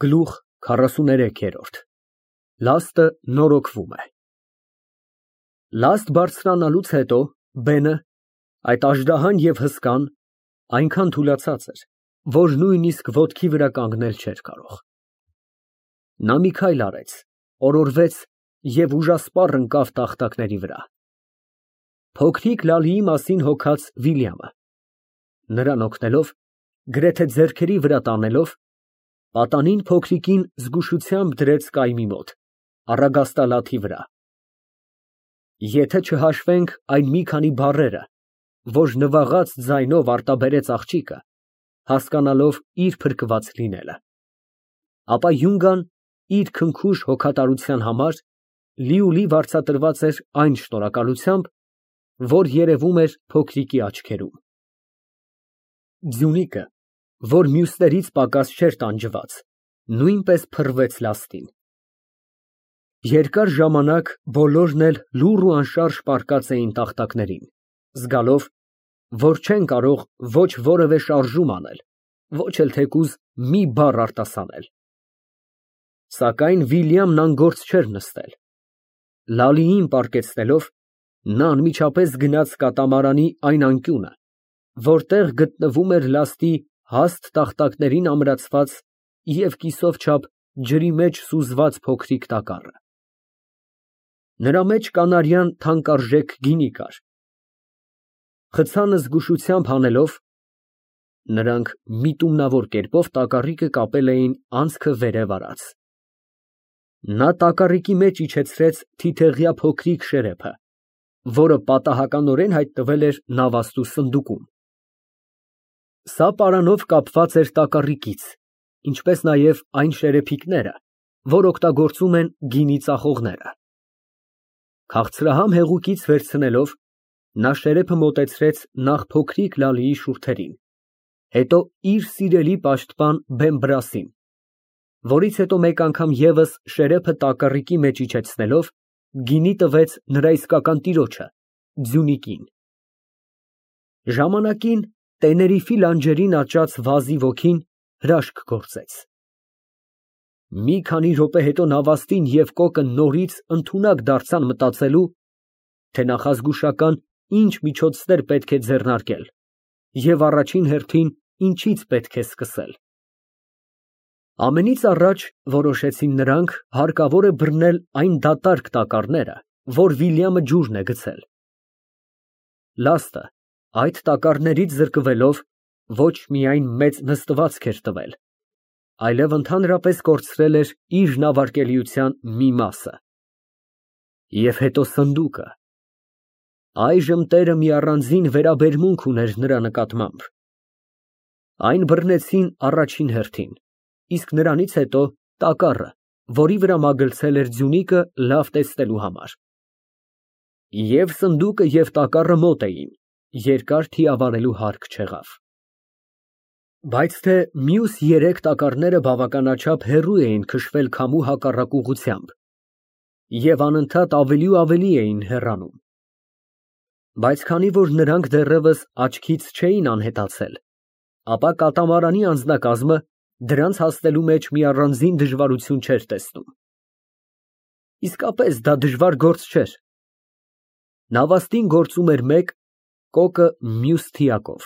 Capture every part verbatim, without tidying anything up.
Գլուխ քառասուներեք։ Լաստը նորոգվում է։ Լաստ բարձրանալուց հետո բենը, այդ աժդահան և հսկան, այնքան թուլացած էր, որ նույնիսկ ոտքի վրա կանգնել չէր կարող։ Նա մի քայլ արեց, օրորվեց և ուժասպառ ընկավ տախտակների վրա։ Փոքրիկ Լալիի մասին հոգաց Վիլյամը նրան օգնելով, գրեթե ձեռքերի վրա տանելով, պատանին փոքրիկին զգուշությամբ դրեց կայմի մոտ, առագաստալաթի վրա։ Եթե չհաշվենք այն մի քանի բառերը, որ նվաղած ձայնով արտաբերեց աղջիկը, հասկանալով իր փրկված լինելը, ապա Յունգան իր քնքուշ հոգատարության համար լիուլի վարձատրված էր այն շնորհակալությամբ, որ երևում էր փոքրիկի աչքերում։ Ձյունիկը, որ մյուսներից պակաս չէր տանջված, նույնպես փռվեց լաստին։ Երկար ժամանակ բոլորն էլ լուռ ու անշարժ պառկած էին տախտակներին, զգալով, որ չեն կարող ոչ որևէ շարժում անել, ոչ էլ թեկուզ մի բառ արտասանել։ Սակայն Վիլյամն անգործ չէր նստել։ Լալիին պառկեցնելով, նա անմիջապես գնաց կատամարանի այն անկյունը, որտեղ գտնվում էր լաստի հաստ տախտակներին ամրացված և կիսով չափ ջրի մեջ սուզված փոքրիկ տակառը։ Նրա մեջ կանարյան թանկարժեք գինի կար։ Խցանը զգուշությամբ հանելով, նրանք միտումնավոր կերպով տակառիկը կապել էին անցքը վերև արած։ Նա տակառիկի մեջ իջեցրեց թիթեղյա փոքրիկ շերեփը, որը պատահականորեն հայտնվել էր նավաստու սնդուկում։ Սա պարանով կապված էր տակառիկից, ինչպես նաև այն շերեփիկները, որ օգտագործում են գինի ծախողները։ Քաղցրահամ հեղուկից վերցնելով, նա շերեփը մոտեցրեց նախ փոքրիկ Լալիի շուրթերին, հետո իր սիրելի պաշտպան Բեմբրասին, որից հետո մեկ անգամ ևս շերեփը տակառիկի մեջ իջեցնելով, գինի տվեց նրա իսկական տիրոջը՝ ձյունիկին։ Ժամանակին Տեներիֆի լանջերին աճած վազի ոգին հրաշք գործեց։ Մի քանի րոպե հետո նավաստին և կոկը նորից ընդունակ դարձան մտածելու, թե նախազգուշական ինչ միջոցներ պետք է ձեռնարկել և առաջին հերթին ինչից պետք է սկսել։ Ամենից առաջ, որոշեցին նրանք, հարկավոր է բռնել այն դատարկ տակառները, որ Վիլյամը ջուրն է գցել։ Լաստը, այդ տակառներից զրկվելով, ոչ միայն մեծ նստվածք էր տվել, այլև ընդհանրապես կորցրել էր իր նավարկելիության մի մասը։ Եվ հետո սնդուկը։ Այժմ տերը մի առանձին վերաբերմունք ուներ նրա նկատմամբ։ Այն բռնեցին առաջին հերթին, իսկ նրանից հետո տակառը, որի վրա մագլցել էր ձյունիկը լավ տեսնելու համար։ Եվ սնդուկը և տակառը մոտ էին, երկար թիավարելու հարկ չեղավ։ Բայց թե մյուս երեք տակառները բավականաչափ հեռու էին քշվել քամու հակառակ ուղղությամբ և անընդհատ ավելի ու ավելի էին հեռանում։ Բայց քանի որ նրանք դեռևս աչքից չէին անհետացել, ապա կատամարանի անձնակազմը դրանց հասնելու մեջ մի առանձին դժվարություն չէր տեսնում։ Իսկապես դա դժվար գործ չէր։ Նավաստին գործում էր մեկ, կոկը մյուս թիակով,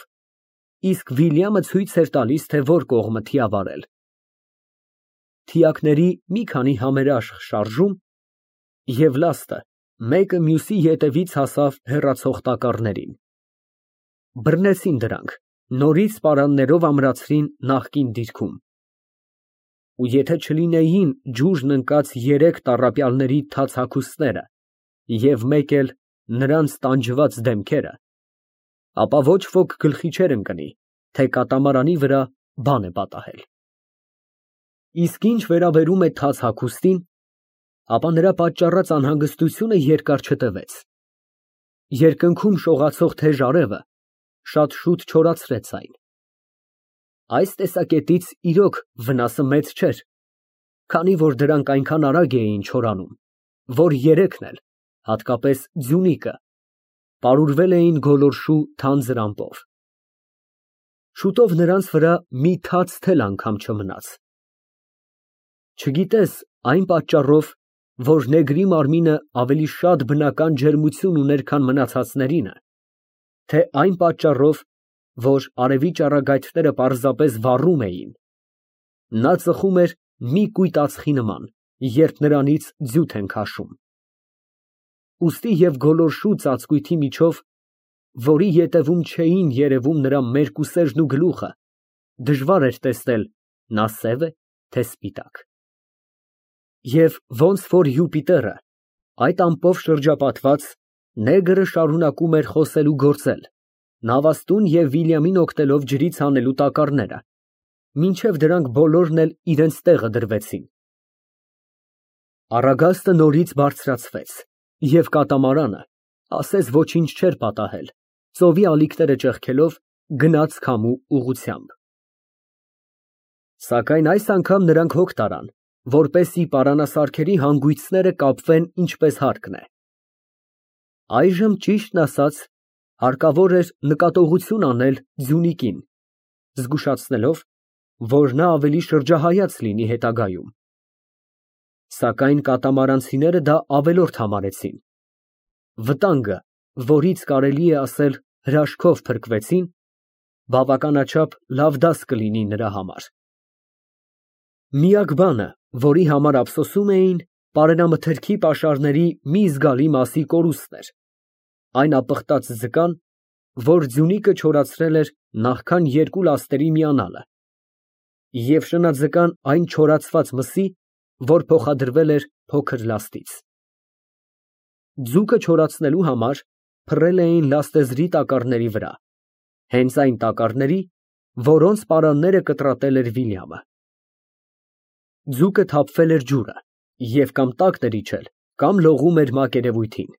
իսկ Վիլյամը ցույց էր տալիս, թե որ կողմը թիավարել։ Թիակների մի քանի համերաշխ շարժում, և լաստը մեկը մյուսի ետևից հասավ հեռացող տակառներին։ Բռնեցին դրանք, նորից պարաններով ամրացրին նախկին դիրքում։ Ու եթե չլինեին ջուրն ընկած երեք տառապյալների թաց հագուստները և մեկ էլ նրանց տանջված դեմքերը, ապա ոչ ոք գլխի չէր ընկնի, թե կատամարանի վրա բան է պատահել։ Իսկ ինչ վերաբերում է թաց հագուստին, ապա նրա պատճառած անհանգստությունը երկար չտևեց։ Երկնքում շողացող թեժ արևը շատ շուտ չորացրեց այն։ Այս տեսակետից իրոք վնասը մեծ չէր, քանի որ դրանք այնքան արագ էին չորանում, որ երեքն էլ, հատկապես ձյունիկը, պարուրվել էին գոլորշու թանձր ամպով։ Շուտով նրանց վրա մի թաց թել անգամ չմնաց։ Չգիտես այն պատճառով, որ նեգրի մարմինը ավելի շատ բնական ջերմություն ուներ, քան մնացածներինը, թե այն պատճառով, որ արևի ճառագայթները պարզապես վառում էին, նա ծխում էր մի կույտ ածխի նման, երբ նրանից ձյութ են քաշում։ Ուստի և գոլորշու ծածկույթի միջով, որի ետևում չէին երևում նրա մերկուսերժն ու գլուխը, դժվար էր տեսնել նա սև է, թե սպիտակ։ Եվ ոնց որ Յուպիտերը, այդ ամպով շրջապատված, նեգրը շարունակում էր խոսել ու գործել, նավաստուն և Վիլյամին օգնելով ջրից հանելու տակառները, մինչև դրանք բոլորն էլ իրենց տեղը դրվեցին։ Առագաստը նորից բարձրացվեց, և կատամարանը, ասես ոչինչ չէր պատահել, ծովի ալիքները ճեղքելով, գնաց քամու ուղղությամբ։ Սակայն այս անգամ նրանք հոգ տարան, որպեսզի պարանասարքերի հանգույցները կապվեն ինչպես հարկն է։ Այժմ, ճիշտն ասած, հարկավոր էր նկատողություն անել ձյունիկին, զգուշացնելով, որ նա ավելի շրջահայաց լինի հետագայում։ Սակայն կատամարանցիները դա ավելորդ համարեցին։ Վտանգը, որից կարելի է ասել հրաշքով փրկվեցին, բավականաչափ լավ դաս կլինի նրա համար։ Միակ բանը, որի համար ափսոսում էին, պարենամթերքի պաշարների մի զգալի մասի կորուստն էր, այն ապխտած ձկան, որ ձյունիկը չորացրել էր նախքան երկու լաստերի միանալը, և շնաձկան այն չորացված մսի, որ փոխադրվել էր փոքր լաստից։ Ձուկը չորացնելու համար փռել էին լաստեզրի տակառների վրա, հենց այն տակառների, որոնց պարանները կտրատել էր Վիլյամը։ Ձուկը թափվել էր ջուրը և կամ տակն էր իջել, կամ լողում էր մակերևույթին։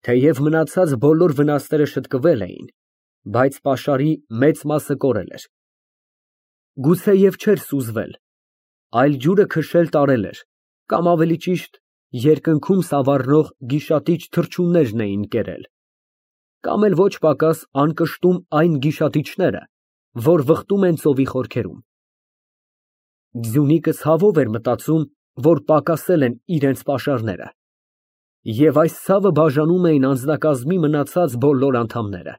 Թեև մնացած բոլոր վնասները շտկվել էին, բայց պաշարի մեծ մասը կորել էր։ Գուցեև չէր սուզվել, այլ ջուրը քշել տարել էր, կամ ավելի ճիշտ, երկնքում սավառնող գիշատիչ թռչուններն էին կերել, կամ էլ ոչ պակաս անկշտում այն գիշատիչները, որ վխտում են ծովի խորքերում։ Ձյունիկը ցավով էր մտածում, որ պակասել են իրենց պաշարները, և այս ցավը բաժանում էին անձնակազմի մնացած բոլոր անդամները։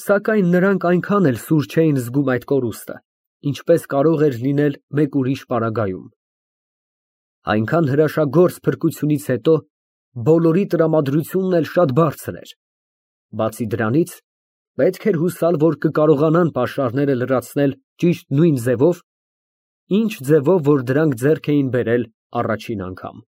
Սակայն նրանք այնքան էլ սուր չէին զգում այդ կորուստը, ինչպես կարող էր լինել մեկ ուրիշ պարագայում։ Այնքան հրաշագործ փրկությունից հետո բոլորի տրամադրությունն էլ շատ բարձր էր։ Բացի դրանից, պետք էր հուսալ, որ կկարողանան պաշարները լրացնել ճիշտ նույն ձևով, ինչ ձևով, որ դրանք ձեռք էին բերել առաջին անգամ։